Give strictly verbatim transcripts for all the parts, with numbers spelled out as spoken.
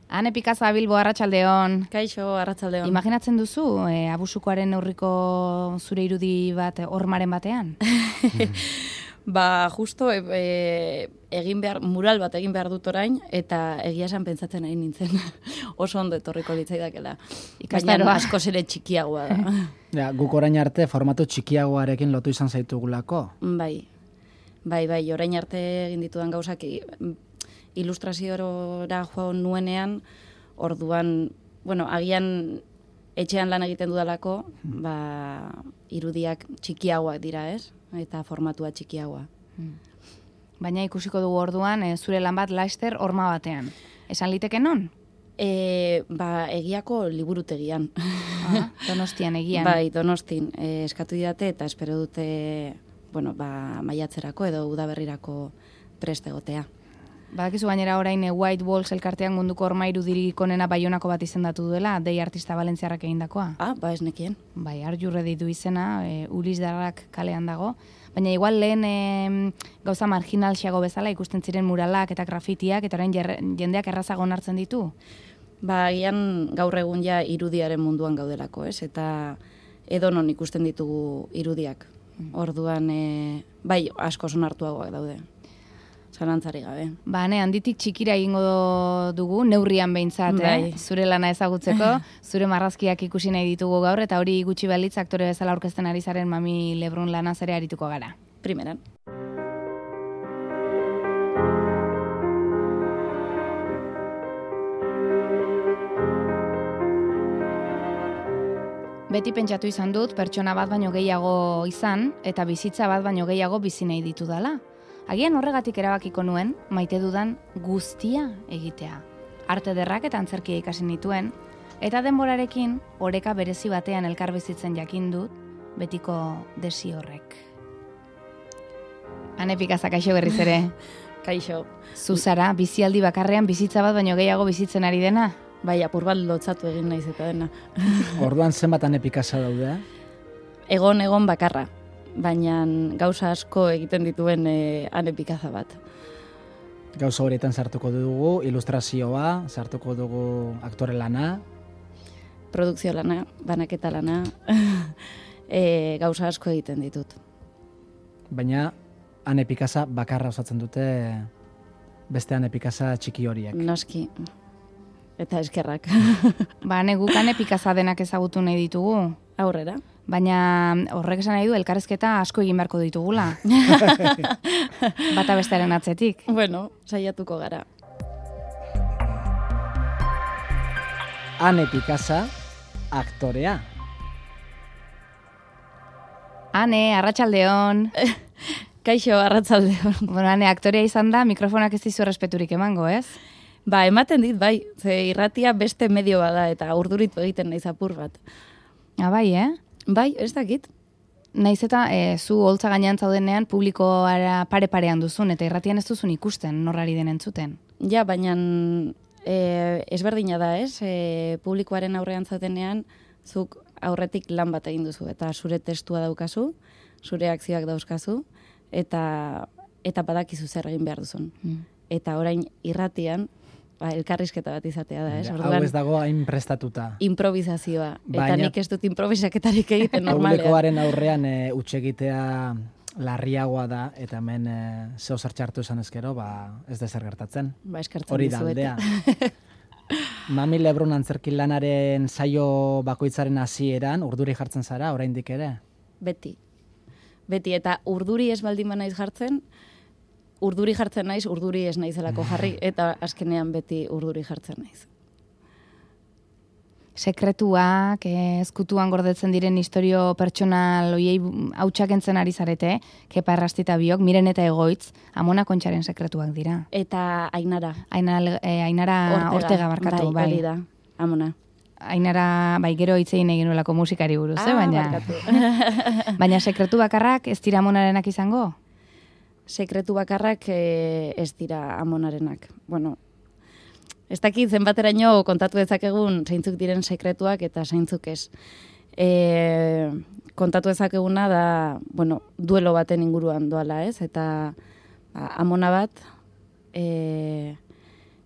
Ane Pikaza Bilbo, arratsaldeon. Kaixo, arratsaldeon. Imaginatzen duzu, e, abusukoaren neurriko zure irudi bat hormaren batean? Ba, justo e, e, egin behar, mural bat egin behar dut orain, eta egia esan pentsatzen nahi nintzen. Oso ondo etorriko litzaidakela. Baina askoz ere txikiagoa da. Ja, guk orain arte formatu txikiagoarekin lotu izan zaitugulako. Bai, bai, bai, orain arte egin ditudan gauzak ilustraziora joan nuenean, orduan, bueno, agian etxean lan egiten dudalako, ba, irudiak txikiagoak dira, ez? Eta formatua txikiagoa. Baina ikusiko dugu orduan, e, zure lan bat laster horma batean. Esan liteke non? E, ba, egiako liburutegian. Ah, Donostian egian. Bai, Donostin. E, eskatu didate eta espero dute, bueno, ba, maiatzerako edo udaberrirako prest egotea. Badakizu gainera orain e, White Walls elkartean munduko horma irudirik onena Baionako bat izendatu duela, dei artista valentziarrak egindakoa. Ah, ba ez nekien. Bai, Arjurre ditu izena, e, Ulis Darrak kalean dago. Baina igual lehen e, gauza marginalxiago bezala ikusten ziren muralak eta grafitiak, eta orain jer, jendeak errazago onartzen ditu. Ba, agian gaur egun ja irudiaren munduan gaudelako, ez? Eta edonon ikusten ditugu irudiak. Orduan, e, bai, asko onartuagoak daude. Zalantzari gabe. Ba, ne, handitik txikira egingo dugu, neurrian behintzat, bai. eh? Zure lana ezagutzeko, zure marrazkiak ikusi nahi ditugu gaur, eta hori gutxi balitz aktore bezala aurkezten ari zaren Mami Lebrun lana ere arituko gara. Primeran. Beti pentsatu izan dut, pertsona bat baino gehiago izan, eta bizitza bat baino gehiago bizi nahi ditu dela. Agian horregatik erabakiko nuen, maite dudan guztia egitea. Arte derrak eta antzerkia ikasi nituen, eta denborarekin oreka berezi batean elkar bizitzen jakin dut, betiko desi horrek. Ane Pikaza, kaixo berriz ere. Kaixo. Zuzara, bizialdi bakarrean bizitza bat baino gehiago bizitzen ari dena? Bai, apur bat lotzatu egin naiz eta dena. Orduan zenbat Ane Pikaza daude? Egon, egon bakarra. Baina gauza asko egiten dituen e, Ane Pikaza bat. Gauza horietan sartuko dugu, ilustrazioa, sartuko dugu aktore lana. Produkzio lana, banaketa lana, e, gauza asko egiten ditut. Baina Ane Pikaza bakarra osatzen dute beste Ane Pikaza txiki horiek. Noski. Eta eskerrak. Ba, ne guk Ane Pikaza denak ezagutu nahi ditugu. Aurrera. Baina horrek esan nahi du elkarrezketa asko egin beharko ditugula. Bata bestearen atzetik. Bueno, saiatuko gara. Ane Pikaza, aktorea. Ane, arratsaldeon. Kaixo, arratsaldeon. Bueno, Ane, aktorea izan da, mikrofonak ez dizu errespeturik emango, ez? Ba, ematen dit, bai. Ze irratia beste medio bada eta urduritu egiten naiz apur bat. Ah, bai, eh? Bai, ez dakit. Naiz eta e, zu holtza gainean zaudenean publikoara pare-parean duzun, eta irratian ez duzun ikusten, norrari den entzuten. Ja, baina e, ezberdina da, ez? E, publikoaren aurrean zaudenean, zuk aurretik lan bat egin duzu, eta zure testua daukazu, zure akzioak dauzkazu, eta, eta badakizu zer egin behar duzun. Mm. Eta orain irratian, ba, elkarrizketa bat izatea da, ez? Orduan, hau ez dago hain prestatuta. Improvisazioa. Eta Baina, nik ez dut improvisaketarik egiten normalean. Publikoaren aurrean e, utxegitea larriagoa da, eta hemen e, zeo zer txartu esan ezkero, ba, ez dezer gertatzen. Ba, eskertzen hori da aldea. Mami Lebrun antzerki lanaren saio bakoitzaren hasieran urduri jartzen zara, oraindik ere? Beti. Beti, eta urduri ez baldin banaiz jartzen, urduri jartzen naiz, urduri ez naizelako jarri, eta azkenean beti urduri jartzen naiz. Sekretuak, ezkutuan gordetzen diren historio pertsonal oiei hautsak entzen ari zarete, Kepa Errastita biok, Miren eta Egoitz, Amona Kontxaren sekretuak dira. Eta Ainara. Ainara, eh, Ainara Ortega, Ortega barkatu, bai. Bai, da, Amona. Ainara, bai, gero hitzein egin nuelako musikari buruz, ah, eh, baina... baina sekretu bakarrak ez dira Amonarenak izango? Sekretu bakarrak e, ez dira Amonarenak. Bueno, ez dakit zenbateraino kontatu dezakegun zeintzuk diren sekretuak eta zeintzuk ez. E, kontatu dezakeguna da, bueno, duelo baten inguruan doala, ez? Eta ba, amona bat e,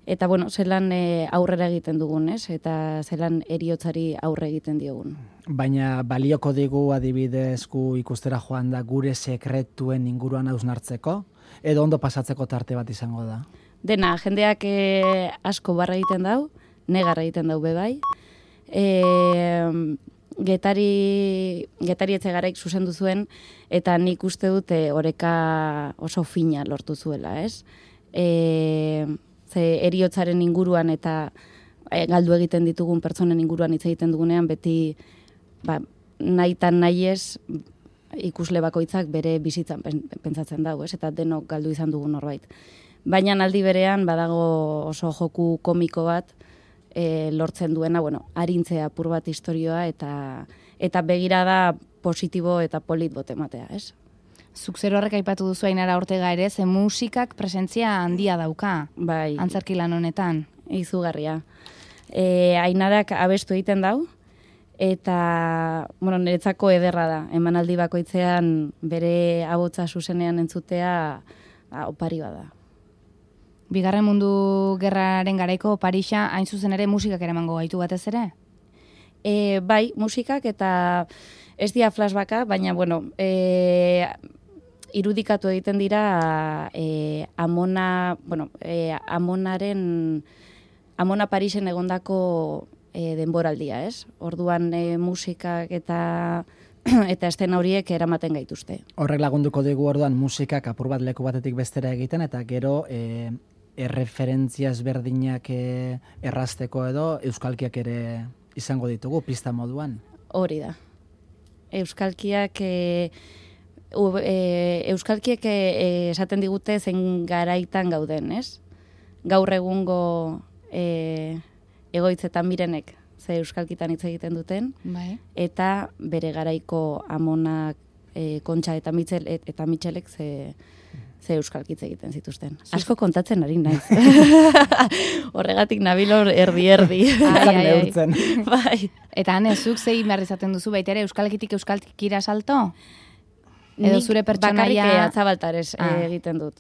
eta bueno, zelan e, aurrera egiten dugun, ez? Eta zelan heriotzari aurre egiten diogun. Baina balioko digu adibidez gu ikustera joan da gure sekretuen inguruan hausnartzeko, edo ondo pasatzeko tarte bat izango da? Dena, jendeak e, asko barra egiten dau, negar egiten dau bebai. E, getari, getari etxe garaik zuzendu zuen, eta nik uste dute oreka oso fina lortu zuela, ez? E, ze heriotzaren inguruan eta e, galdu egiten ditugun pertsonen inguruan hitz egiten dugunean, beti ba, nahi tan nahi ez ikusle bakoitzak bere bizitzan pentsatzen dago, ez? Eta denok galdu izan dugu norbait. Baina aldi berean badago oso joku komiko bat e, lortzen duena, bueno, arintzea apur bat istorioa eta eta begirada positibo eta polit botematea, ez? Zuk zer horrek aipatu duzu Ainara Ortega ere, ze musikak presentzia handia dauka, bai, antzerki lan honetan. Izugarria. E, Ainarak abestu egiten dau, eta bueno, niretzako ederra da. Emanaldi bakoitzean bere ahotsa zuzenean entzutea ba, opari bada. Bigarren mundu gerraren garaiko Parisa hain zuzen ere musikak ere emango gaitu batez ere? E, bai, musikak eta ez dira flashbacka, baina bueno, e, irudikatu egiten dira e, Amona, bueno, e, Amonaren Amona Parisen egondako e, denboraldia, ez? Orduan e, musikak eta eta estena horiek eramaten gaituzte. Horrek lagunduko digu orduan musikak apur bat leku batetik bestera egiten, eta gero e, erreferentzia ezberdinak e, errazteko edo euskalkiak ere izango ditugu pista moduan. Hori da. Euskalkiak e, u, e, euskalkiek e, esaten digute zen garaitan gauden, ez? Gaur egungo e, egoitzetan mirenek ze euskalkitan hitz egiten duten, bai. Eta bere garaiko Amonak, e, Kontxa eta Mitxel eta Mitxelek ze ze euskalkitz egiten zituzten. Asko kontatzen ari naiz. Horregatik nabilor erdi-erdi. Neurtzen. Bai. Eta hane, zuk zein behar izaten duzu baita ere euskalkitik euskalkira salto? Edo zure pertsonaia... Bakarrik atzabaltarez ah. egiten dut.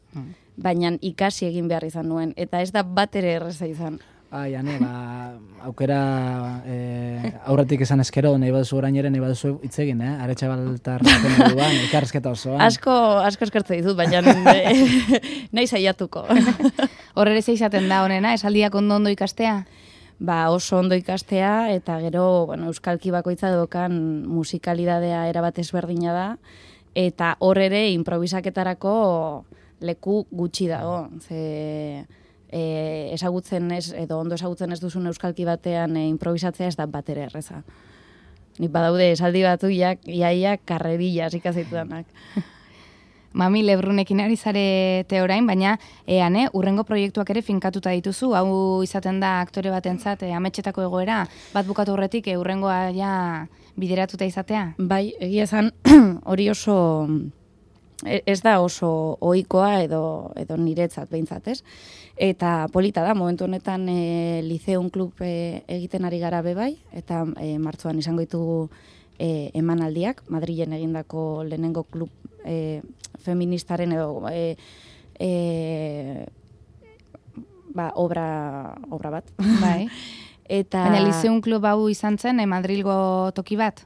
Baina ikasi egin behar izan nuen. Eta ez da bat ere erreza izan. Ai, ane, ba, aukera e, aurretik esan eskero, nahi baduzu orain ere, nahi baduzu hitz egin, eh? Aretxe baltar raten moduan, ikarrezketa osoan. Asko, asko eskertze ditut, baina nahi saiatuko. Horre ze izaten da honena, esaldiak ondo ondo ikastea? Ba, oso ondo ikastea, eta gero, bueno, euskalki bakoitza dokan musikalidadea erabat ezberdina da, eta hor ere improvisaketarako leku gutxi dago, ze... E, ezagutzen ez, edo ondo ezagutzen ez duzun euskalki batean e, improvisatzea ez da bat ere erreza. Nik badaude esaldi batu jak, iaia karrerilla ikasitudanak. Mami Lebrunekin ari zarete orain, baina eane, urrengo proiektuak ere finkatuta dituzu, hau izaten da aktore batentzat e, ametxetako egoera, bat bukatu horretik e, urrengoa ja bideratuta izatea? Bai, egia esan hori oso... Ez da oso ohikoa edo, edo niretzat behintzat, ez? Eta polita da, momentu honetan e, Liceum Klub e, egiten ari gara bebai, eta e, martzoan izango ditugu e, emanaldiak, Madrilen egindako lehenengo klub e, feministaren edo e, e, ba, obra, obra bat. Bai. Eta... Baina Liceum Klub hau izan zen, e, Madrilgo toki bat?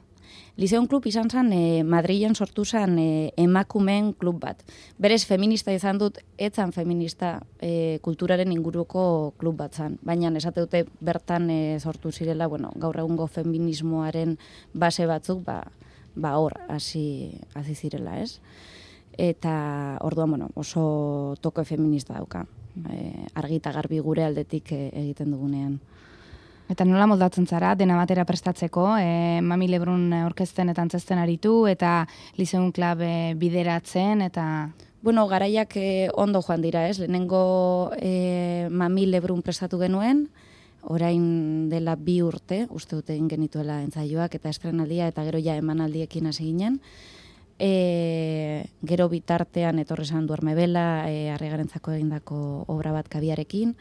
Liceum Klub izan zen e, Madrilen sortu zen e, emakumeen klub bat. Berez feminista izan dut, etzan feminista e, kulturaren inguruko klub bat zen. Baina esate dute bertan e, sortu zirela, bueno, gaur egungo feminismoaren base batzuk, ba, ba hor, hasi hasi zirela, ez? Eta orduan, bueno, oso toke feminista dauka. E, argi eta garbi gure aldetik e, egiten dugunean. Eta nola moldatzen zara, dena batera prestatzeko, e, Mami Lebrun orkesten eta antzesten aritu, eta Liceum Klub e, bideratzen, eta... Bueno, garaiak e, ondo joan dira, ez? Lehenengo e, Mami Lebrun prestatu genuen, orain dela bi urte, uste dute egin genituela entzaioak, eta estrenaldia, eta gero ja emanaldiekin hasi ginen. E, gero bitartean etorri zan Duerme Bela, e, Arregarentzako egindako obra bat kabiarekin,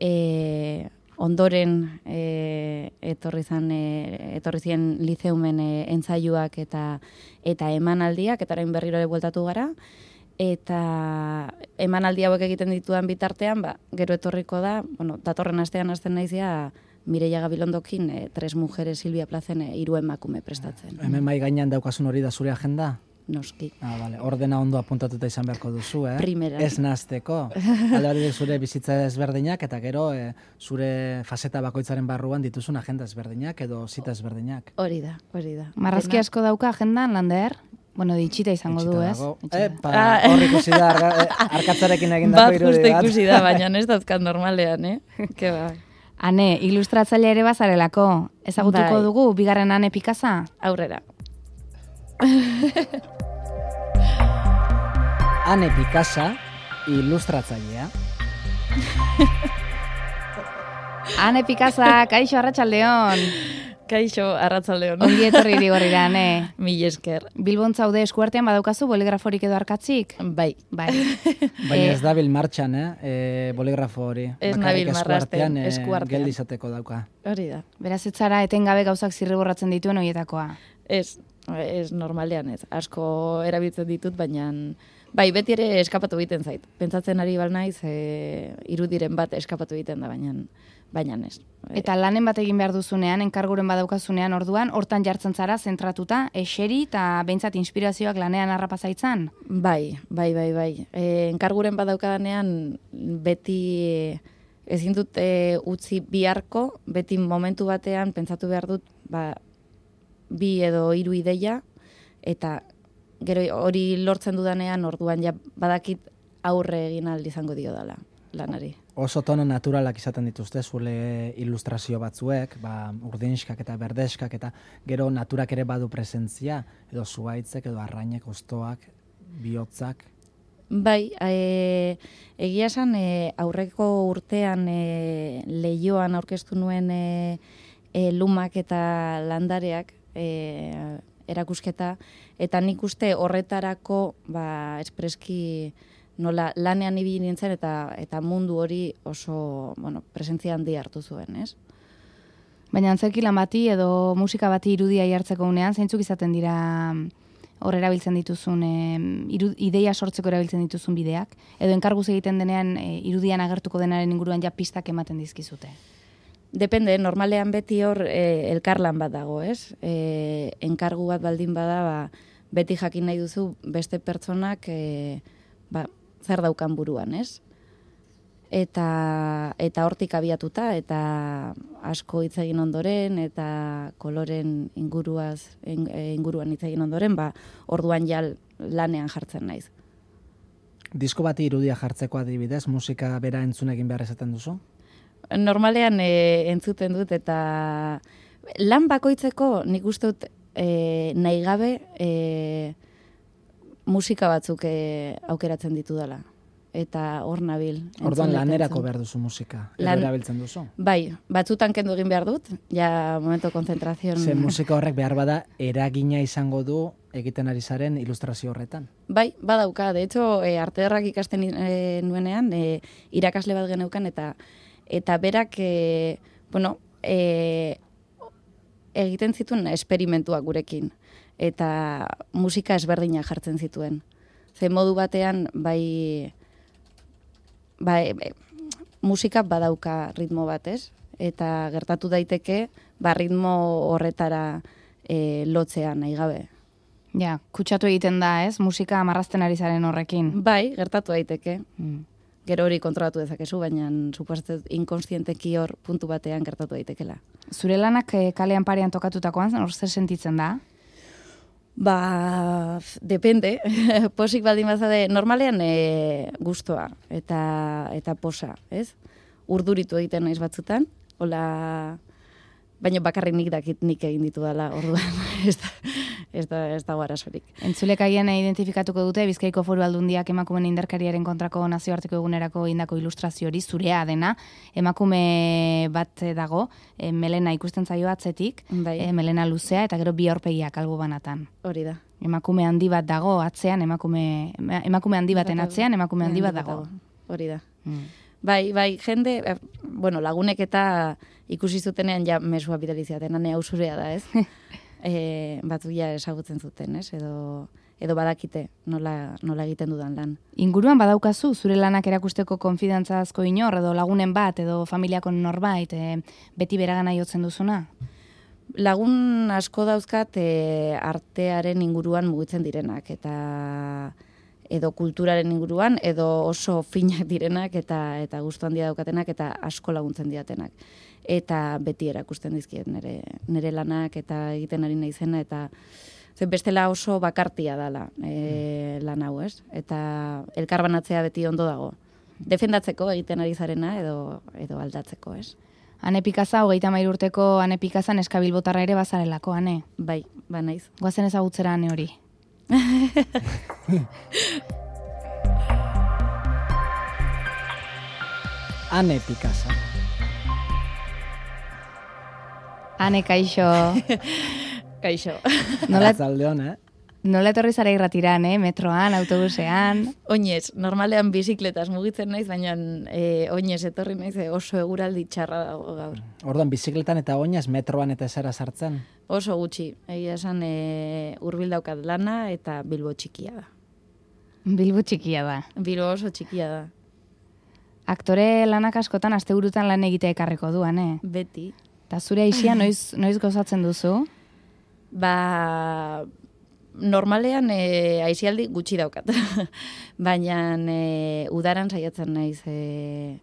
e, ondoren e, etorri zan e, etorri zien Liceumen e, entzaiuak eta eta emanaldiak, eta orain berriro ere bueltatu gara, eta emanaldi hauek egiten ditudan bitartean, ba, gero etorriko da, bueno, datorren astean hasten naizia Mireia Gabilondokin, e, Tres Mujeres Silvia Plazen e, hiru emakume prestatzen. Hemen mai gainean daukasun hori da zure agenda? Noski. Ah, vale. Ordena ondo apuntatuta izan beharko duzu, eh? Primera. Ez nahazteko. Alde batetik zure bizitza ezberdinak, eta gero e, zure faseta bakoitzaren barruan dituzun agenda ezberdinak edo zita ezberdinak. Hori da, hori da. Marrazki asko dauka agendan, Lander? Bueno, ditxita izango du, ez? Epa, hor ikusi da arga, arkatzarekin egindako irudi bat. Bat justu ikusi da, baina ez dauzkat normalean, eh? Ke ba. Ane, ilustratzaile ere bazarelako. Ezagutuko Bai. dugu, bigarren Ane Pikasa? Aurrera. Ane Pikasa, ilustratzailea. Ane Pikasa, kaixo arratsaldeon. Kaixo, arratsaldeon. Ongi etorri Irigorrira, Ane. Mil esker. Bilbon zaude eskuartean badaukazu boligraforik edo arkatzik? Bai. Bai. Baina ez dabil martxan, eh? E, boligrafo hori. Ez Bakarrik nabil marrazten, eskuartean, eskuartean. geldi izateko dauka. Hori da. Beraz ez zara etengabe gauzak zirriborratzen dituen horietakoa. Ez, ez normalean ez. Asko erabiltzen ditut, baina bai, beti ere eskapatu egiten zait. Pentsatzen ari bal naiz, e, irudiren bat eskapatu egiten da, baina baina ez. Eta lanen bat egin behar duzunean, enkarguren badaukazunean orduan, hortan jartzen zara, zentratuta, eseri eta behintzat inspirazioak lanean harrapazaitzan? Bai, bai, bai, bai. E, enkarguren badaukadanean beti ezin dut e, utzi biharko, beti momentu batean pentsatu behar dut ba, bi edo hiru ideia, eta gero hori lortzen dudanean orduan ja badakit aurre egin ahal izango dio dela lanari. Oso tono naturalak izaten dituzte zule ilustrazio batzuek, ba, urdinskak eta berdeskak, eta gero naturak ere badu presentzia, edo zuaitzek, edo arrainek, ostoak, bihotzak. Bai, e, egia esan e, aurreko urtean e, Leioan aurkeztu nuen e, e, lumak eta landareak e, erakusketa, eta nik uste horretarako ba, espreski nola lanean ibili nintzen eta eta mundu hori oso, bueno, presentzia handi hartu zuen, ez? Baina antzerki lan bati edo musika bati irudia jartzeko unean, zeintzuk izaten dira hor erabiltzen dituzun, e, iru, ideia sortzeko erabiltzen dituzun bideak, edo enkarguz egiten denean e, irudian agertuko denaren inguruan ja pistak ematen dizkizute? Depende, normalean beti hor e, elkarlan bat dago, ez? E, enkargu bat baldin bada, ba, beti jakin nahi duzu beste pertsonak e, ba, zer daukan buruan, ez? Eta, eta hortik abiatuta, eta asko hitz egin ondoren, eta koloren inguruaz, inguruan hitz egin ondoren, ba, orduan jal lanean jartzen naiz. Disko bati irudia jartzeko adibidez, musika bera entzun egin behar esaten duzu? Normalean e, entzuten dut, eta lan bakoitzeko nik uste dut e, nahi gabe e, musika batzuk e, aukeratzen ditu dela. Eta hor nabil. Orduan lanerako behar duzu musika, edo Lan, erabiltzen duzu? Bai, batzutan kendu egin behar dut, ja momento konzentrazion. Ze musika horrek behar bada eragina izango du egiten ari zaren ilustrazio horretan? Bai, badauka. De hecho, e, arte ederrak ikasten e, nuenean, e, irakasle bat geneukan, eta eta berak, e, bueno, e, egiten zituen esperimentuak gurekin. Eta musika ezberdina jartzen zituen. Ze modu batean, bai, bai, bai musika badauka ritmo bat, ez? Eta gertatu daiteke, ba, ritmo horretara e, lotzea nahi gabe. Ja, kutsatu egiten da, ez? Musika marrazten ari zaren horrekin. Bai, gertatu daiteke. Mm. Gero hori kontrolatu dezakezu, baina suposatzen inkonstienteki hor puntu batean gertatu daitekela. Zure lanak e, kalean parean tokatutakoan, hor zer sentitzen da? Ba, depende. Posik baldin bazade, normalean e, gustoa eta eta posa, ez? Urduritu egiten naiz batzutan, hola, baina bakarrik nik dakit nik egin ditu dela, orduan, ez da, ez da, ez da arazorik. Entzulek agian identifikatuko dute, Bizkaiko Foru Aldundiak emakumeen indarkeriaren kontrako nazioarteko egunerako indako ilustrazio hori zurea dena, emakume bat dago, e, melena ikusten zaio atzetik, Bai. e, melena luzea, eta gero bi aurpegiak albo banatan. Hori da. Emakume handi bat dago atzean, emakume, emakume handi baten atzean, emakume handi bat dago. Hori da. Mm. Bai, bai, jende, eh, bueno, lagunek eta ikusi zutenean ja mesua bidali zidaten, hane hau zurea da, ez? e, batzu ja esagutzen zuten, ez? Edo, edo badakite nola, nola egiten dudan lan. Inguruan badaukazu, zure lanak erakusteko konfidantzazko inor, edo lagunen bat, edo familiako norbait, e, beti beragana jotzen duzuna? Lagun asko dauzkat e, artearen inguruan mugitzen direnak, eta edo kulturaren inguruan, edo oso finak direnak, eta eta gustu handia daukatenak, eta asko laguntzen diatenak. Eta beti erakusten dizkiet nire, nire lanak, eta egiten ari naizena, eta ze bestela oso bakartia dala e, lan hau, ez? Eta elkarbanatzea beti ondo dago. Defendatzeko egiten ari zarena, edo, edo aldatzeko, ez? Ane Pikaza, hogeita hamairu urteko Ane Pikazan eskabilbotarra ere bazarelako, Ane? Bai, ba naiz. Goazen ezagutzera Ane hori. Ane Pikaza. Ane, kaixo. Kaixo. Nola, Arratsaldeon, eh? nola etorri zara irratiran, eh? Metroan, autobusean. Oinez, normalean bizikletaz mugitzen naiz, baina e, oinez etorri naiz e, oso eguraldi txarra dago gaur. Orduan, bizikletan eta oinaz metroan eta zera sartzen? Oso gutxi, egia esan e, hurbil daukat lana eta Bilbo txikia da. Bilbo txikia da. Bilbo oso txikia da. Aktore lanak askotan asteburutan lan egitea ekarriko duan, eh? Beti. Eta zure aisia noiz, noiz gozatzen duzu? Ba, normalean e, aizialdi gutxi daukat. Baina e, udaran saiatzen naiz e,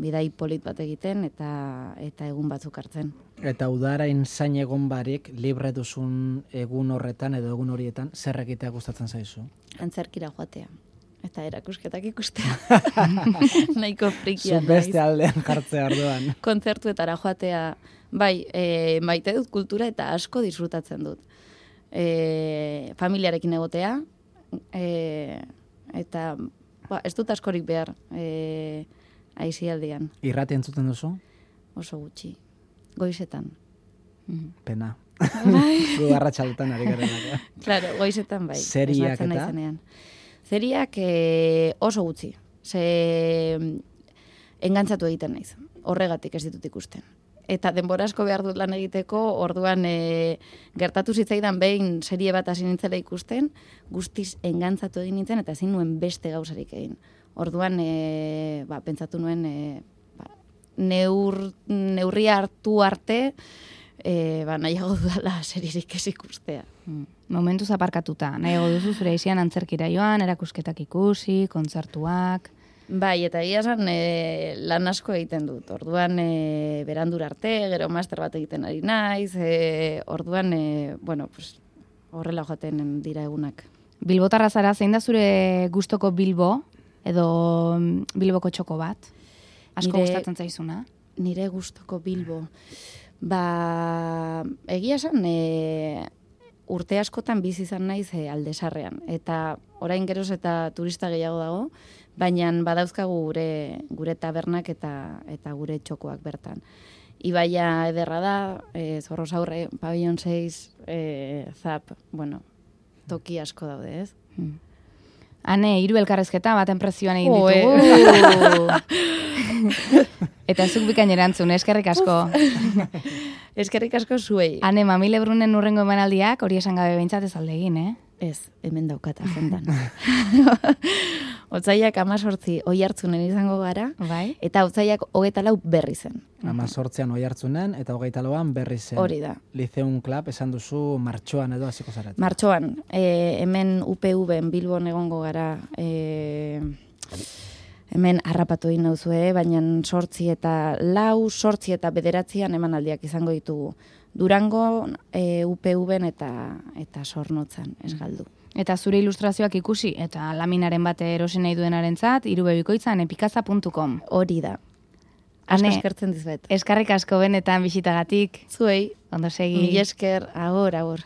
bidai polit bat egiten eta eta egun batzuk hartzen. Eta udarain zain egon barik, libre duzun egun horretan edo egun horietan, zer egitea gustatzen zaizu? Antzerkira joatea. Eta erakusketak ikustea. Nahiko frikia Zu beste aldean jartzea orduan. Kontzertuetara joatea. Bai, e, maite dut kultura eta asko disfrutatzen dut. E, familiarekin egotea, e, eta ba, ez dut askorik behar e, aizialdian. Irrati entzuten duzu? Oso gutxi. Goizetan. Pena. Bai. Gu arratsaldetan ari garenak. Claro, goizetan bai. Seriak esnatzen eta? naizenean. Seriak e, oso gutxi. Ze engantzatu egiten naiz. Horregatik ez ditut ikusten. Eta denbora asko behar dut lan egiteko, orduan e, gertatu zitzaidan behin serie bat hasi nintzela ikusten, guztiz engantzatu egin nintzen eta ezin nuen beste gauzarik egin. Orduan e, ba, pentsatu nuen e, ba, neur, neurria hartu arte e, ba, nahiago dudala seririk ez ikustea. Momentuz aparkatuta. Nahiago duzu zure aizian antzerkira joan, erakusketak ikusi, kontzertuak. Bai, eta egia esan e, lan asko egiten dut. Orduan e, berandur arte, gero master bat egiten ari naiz, e, orduan, e, bueno, pues, horrela joaten dira egunak. Bilbotarra zara, zein da zure gustoko Bilbo, edo Bilboko txoko bat? Asko Nire- gustatzen zaizuna? Nire gustoko Bilbo. Ba, egia esan, e, urte askotan bizi izan naiz e, Aldesarrean. Eta orain geroz eta turista gehiago dago, baina badauzkagu gure gure tabernak eta eta gure txokoak bertan. Ibaia ederra da, e, Zorrozaurre, Pabellon seis, e, Zap, bueno, toki asko daude, ez? Hmm. Hane, hiru elkarrezketa baten prezioan egin Jo, ditugu. Eta zuk bikain erantzun, eskerrik asko. Eskerrik asko zuei. Hane, Mamile Brunen urrengo emanaldiak, hori esan gabe behintzat ez alde egin, eh? Ez, hemen daukat agendan. Otsaiak amazortzi oi hartzunen izango gara, Bai? eta otsaiak hogeita lau berri zen. Amazortzean oi hartzunen eta hogeita lauan berri zen. Hori da. Liceum Club esan duzu martxoan edo hasiko zarete. Martxoan, e, hemen U P V-en Bilbon egongo gara, e, hemen harrapatu egin nauzue, baina sortzi eta lau, sortzi eta bederatzian emanaldiak izango ditugu. Durango, e, U P V-en eta, eta Zornotzan, ez galdu. Eta zure ilustrazioak ikusi, eta laminaren bat erosi nahi duenarentzat, irubebikoitza anepikaza puntu com. Hori da. Asko Ane, eskertzen dizuet. eskarrik asko benetan bisitagatik. Zuei, Ondo segi. mila esker, agor, agor.